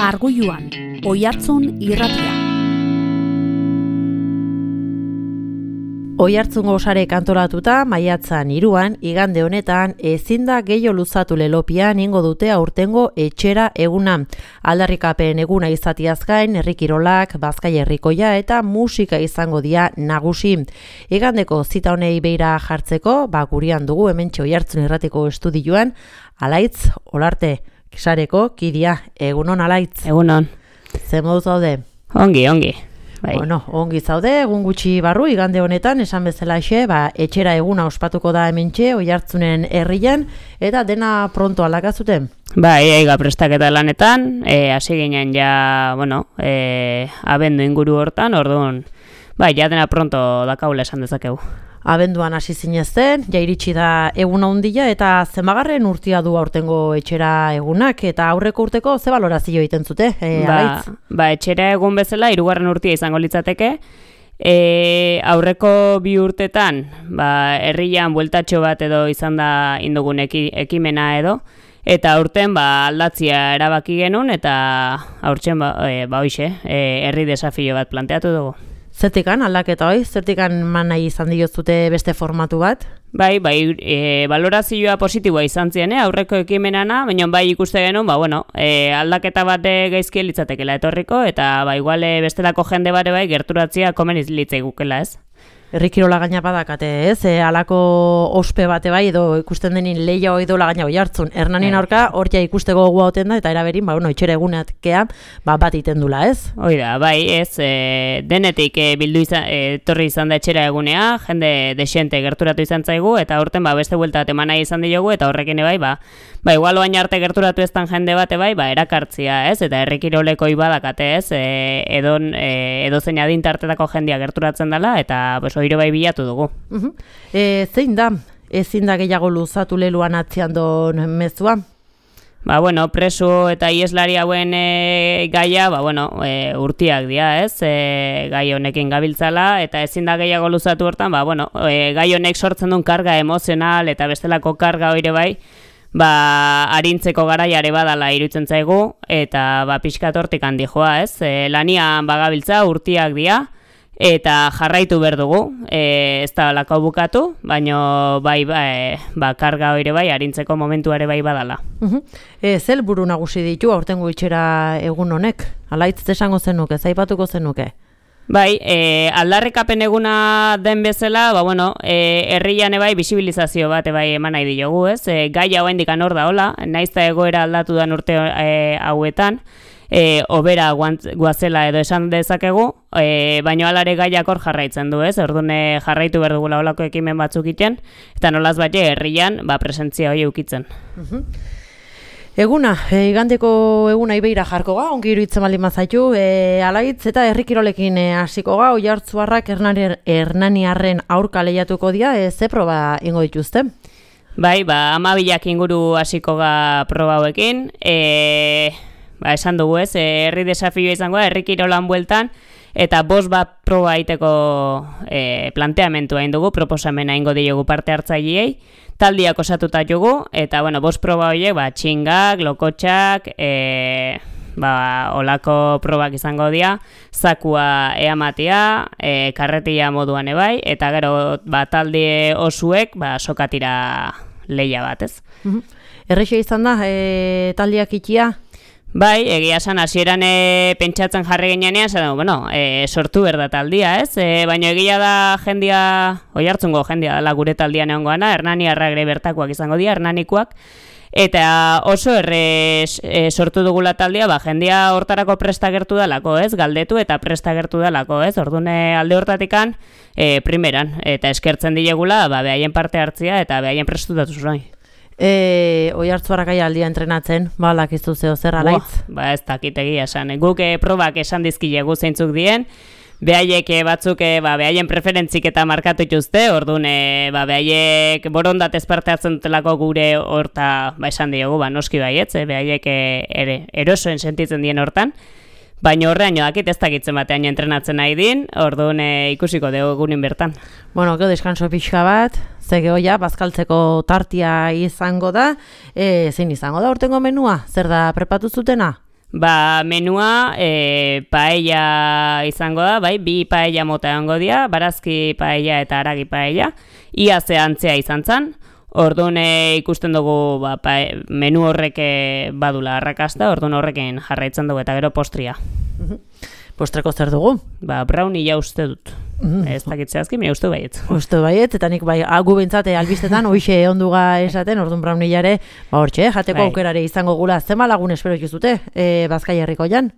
Margulluan, Oihartzun irratia. Oihartzungo sarek antolatuta maiatzan 3an, igande honetan, ezin da gehiago luzatu lelopian ingo dute aurtengo etxera eguna. Aldarrikapen eguna izatiaz gain, herri kirolak, Bazkaia herrikoia eta musika izango dira nagusi. Igandeko zita honei beira jartzeko, gurian dugu hementxe Oihartzun irratiko estudioan, Alaitz Olarte sareko kidia. Egunon, Alaitz? Egunon. Ze moduz zaude? Ongi. Bai. Bueno, ongi zaude, egun gutxi barru, igande honetan, esan bezalaxe, etxera eguna ospatuko da hementxe, Oihartzunen herrian, eta dena pronto aldakazuten? Eiga prestaketa lanetan, hasi ginen ja, abendu inguru hortan, orduan, ja dena pronto dakaula esan dezakegu. Abenduan hasi zinezten, ja iritsi da eguna handia eta zenbagarren urtia du aurtengo etxera egunak eta aurreko urteko ze balorazio egiten zute, Alaitz? Etxera egun bezala 3. urtia izango litzateke. Aurreko 2 urtetan, herrian bueltatxo bat edo izan da indugun ekimena edo, eta aurten aldatzia erabaki genuen eta aurten herri desafio bat planteatu dugu. Zertikan aldaketa hoi? Zertikan nahi izan diozute beste formatu bat? Balorazioa positiboa izan zien, aurreko ekimenana, baina ikuste genuen, aldaketa bat gaizki litzatekela etorriko, eta igual bestelako jende bare gerturatzia komeniz litzaigukela, ez? Herri kirola gaina badakate, ez? Halako ospe bate edo ikusten denin lehia hoi dola gaina Oihartzun. Hernanin aurka, hortia ikusteko gogoa hoten da, eta eraberin, etxera eguneatkea, bat iten dula, ez? Oida, ez, denetik etorri izan da etxera egunea, jende desente gerturatu izan zaigu, eta horten beste buelta bat eman nahi izan diogu, eta horrekin igual oain arte gerturatu eztan jende bate erakartzia, ez? Eta herri kiroleko ibadakate, ez? Edo zein adintartetako jendia gerturatzen dela, eta oiro bilatu dugu. Zein da? Ezin da gehiago luzatu leluan atzian don mezua? Preso eta ieslari hauen gaia, urtiak dira, ez? Gai honekin gabiltzala, eta ezin da gehiago luzatu hortan, gai honek sortzen duen karga emozional eta bestelako karga oire arintzeko garaiare badala iruditzen zaigu, eta pixkat hortik handi joa, ez? Lanian bagabiltza urtiak dira, eta jarraitu behar dugu, ez da lako bukatu, baina karga hori arintzeko momentuare badala. Zel buru nagusi ditu aurtengo etxera egun honek? Alaitz esango zenuke, zaipatuko zenuke? Aldarrikapen eguna den bezala, herrian bisibilizazio bat eman nahi diogu, ez? Gaia oraindik hor da hola, naiz eta egoera aldatu den urte hauetan, obera guazela edo esan dezakegu, baina alare gaiak hor jarraitzen du, ez? Orduan jarraitu behar dugula olako ekimen batzuk iten, eta nolaz herrian presentzia hori eukitzen. Eguna, igandeko eguna ibeira jarko ga, ongi iruditzen baldin mazaitu, Alaitz eta herri kirolekin hasiko ga, Oihartzuarrak Hernaniarren aurka lehiatuko dira, ze proba ingo dituzte? 12 inguru hasiko ga proba hauekin, esan dugu, ez, herri desafioa izango da, herri kirolan bueltan, eta 5 proba egiteko planteamentua egin dugu, proposamena ingo diogu parte hartzaileei, taldiak osatuta jugu, eta 5 proba horiek, txingak, lokotxak, olako probak izango dira, zakua eamatea, karretia moduan eta gero talde osuek sokatira lehia bat, ez? Errexea izan da, taldiak ikia? Egia esan, hasieran pentsatzen jarri ginean, sortu berda taldia, ez? Baina egia da jendia, Oihartzungo jendia dela gure taldian egon goana, Hernaniarrak ere bertakoak izango dira, hernanikoak, eta oso errez sortu dugula taldia, jendia hortarako prestagertu dalako, ez? Galdetu eta prestagertu dalako, ez? Orduan alde hortatikan, primeran, eta eskertzen diegula, behaien parte hartzia eta behaien prestutatu zuen. Oihartzuarrak aldia entrenatzen, lakizu zeo zer, Alaitz? Ez dakit egia esan. Guk probak esan dizkilegu zeintzuk dien, behaiek batzuk behaien preferentzik eta markatu ituzte, orduan behaiek borondatez parte hartzen dutelako gure horta esan diogu, noski baietz, behaiek erosoen sentitzen dien hortan, baina horrean dakit ez dakitzen batean entrenatzen nahi din, orduan ikusiko dugu egunin bertan. Gero deskanso pixka bat, zegoia, bazkaltzeko tartia izango da, zein izango da urtengo menua? Zer da prepatu zutena? Ba, menua paella izango da, bai, 2 paella mota egongo dira, barazki paella eta haragi paella, ia ze antzea izan zen. Orduan ikusten dugu menu horrek badula arrakasta, orduan horrekin jarraitzen dugu eta gero postria. Postreko zer dugu? Ba, brownie ja uste dut. Ez dakitzea azki, mire uste baiet. Uste baiet, eta nik gu bintzate albistetan hoxe onduga esaten, orduan brownie jare, hortxe, jateko aukerare izango gula. Zema lagun espero ikizute, Bazkai herriko jan?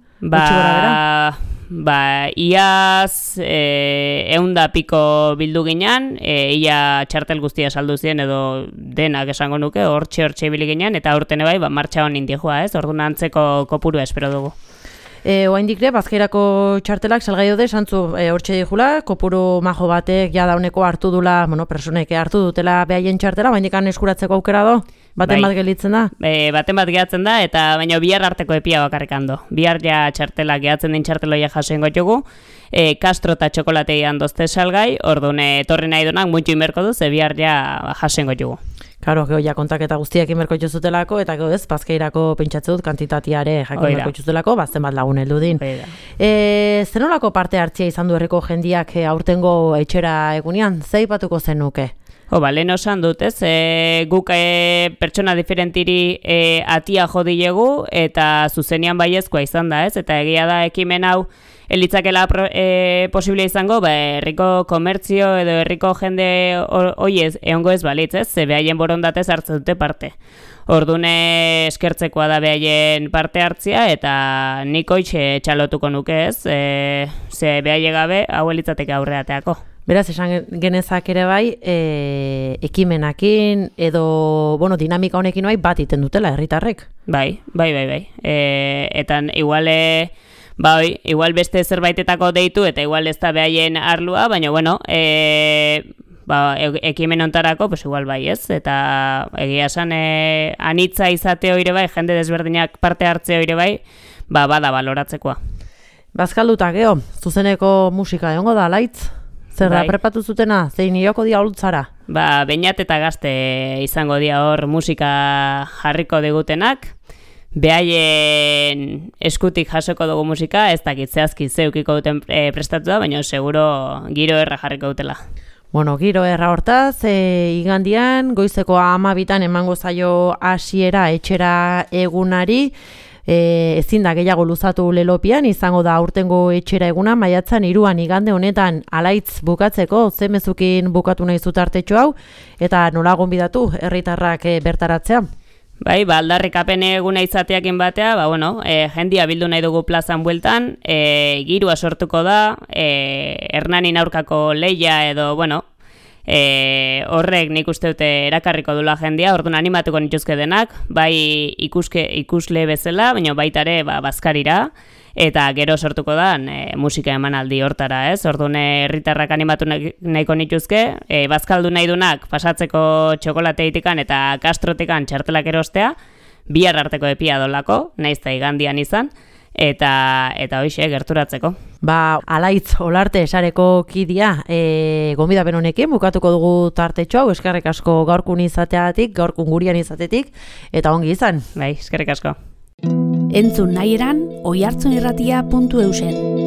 Iaz 100 piko bildu ginen, ia txartel guztia saldu ziren edo denak esango nuke, hortxe ibili ginen, eta aurten bai, martxa honin dijoa, ez? Orduan antzeko kopurua espero dugu. Oaindik Bazkairako txartelak salgai daude, santzu hortxe dijula, kopuru majo batek ja dauneko hartu dula, personek hartu dutela behaien txartela, oaindikan eskuratzeko aukera do? Baten bat gelitzen da? Baten bat gehatzen da, eta baina bihar arteko epia bakarrik hando. Bihar ja txartelak gehatzen den txarteloia jasoen gotugu, Castro eta txokolatei handozte salgai, orduan etorri nahi dunak muntxu inberko du, ze bihar ja jasoen gotugu. Karo, ja kontaketa guztiak inberko itxuzutelako, eta gero ez, Bazkairako pentsatze dut kantitatiare jakin inberko itxuzutelako, bazten bat lagun heldu din. Zenolako parte hartzia izan du herriko jendiak aurtengo etxera egunean, zeipatuko zenuke? Lehen osan dut, ez? Guk pertsona diferentiri atia jodilegu eta zuzenian baiezkoa izan da, ez? Eta egia da ekimen hau elitzakela posible izango, herriko komertzio edo herriko jende hoiez egongo ez balitz, ez? Ze behaien borondatez hartzen dute parte. Orduan eskertzekoa da behaien parte hartzia eta nik hoitxe txalotuko nuke, ez? Ze behaie gabe hau elitzateke aurreateako. Beraz, esan genezak ere bai, ekimenakin edo, dinamika honekin bai bat iten dutela herritarrek. Bai. Eta igual beste zerbaitetako deitu eta igual ez da behaien arlua, baina ekimen ontarako, igual bai ez, eta egia esan anitza izate hori bai, jende desberdinak parte hartze hori bai, bada baloratzekoa. Bazkalduta geho, zuzeneko musika egongo da, Alaitz? Zer da, prepatu zutena, zein ioko dia olutzara? Beñat eta Gazte izango dia hor musika jarriko digutenak, behaien eskutik jasoko dugu musika, ez dakit zehazki zeukiko duten prestatu da, baina seguro giro erra jarriko dutela. Giro erra hortaz, igandian, goizeko 12 emango zaio hasiera etxera egunari, ezin da gehiago luzatu lelopian, izango da aurtengo etxera eguna, maiatzan 3 igande honetan Alaitz bukatzeko, zemezukin bukatu nahi zutartetxo hau, eta nola gonbidatu herritarrak bertaratzea? Aldarrikapen eguna izateakin batea, jendia bildu nahi dugu plazan bueltan, girua sortuko da, Hernanin aurkako leia edo, horrek nik uste dute erakarriko dula jendia, orduan animatuko nituzke denak, bai ikusle bezala, baina baita ere Bazkarira, eta gero sortuko da musika emanaldi hortara, ez? Orduan herritarrak animatu nahiko nituzke, bazkaldu nahi dunak pasatzeko txokolateitikan eta Castrotikan txartelak erostea, bihar arteko epia dolako, nahiz da igandian izan, eta hoxe gerturatzeko. Alaitz Olarte esareko kidia, gonbidapen honekin bukatuko dugu tartetxo hau, eskerrik asko gaurkun izateatik, gaurkun gurian izatetik, eta ongi izan. Eskerrik asko. Entzun nahi eran, oihartzunirratia.eusen.